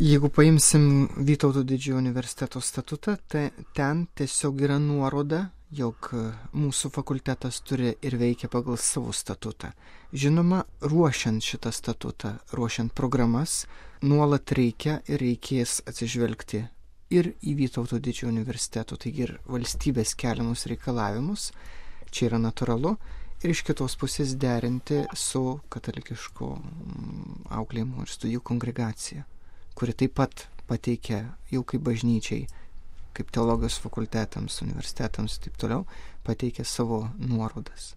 Jeigu paimsim Vytauto didžiojo universiteto statutą, tai ten tiesiog yra nuoroda, jog mūsų fakultetas turi ir veikia pagal savo statutą. Žinoma, ruošiant šitą statutą, ruošiant programas, nuolat reikia ir reikės atsižvelgti ir į Vytauto didžiojo universiteto, taigi ir valstybės keliamus reikalavimus, čia yra natūralu, ir iš kitos pusės derinti su katalikiško auklėjimo ir studijų kongregacija, kuri taip pat pateikia jau kaip bažnyčiai, kaip teologijos fakultetams, universitetams ir taip toliau, pateikia savo nuorodas.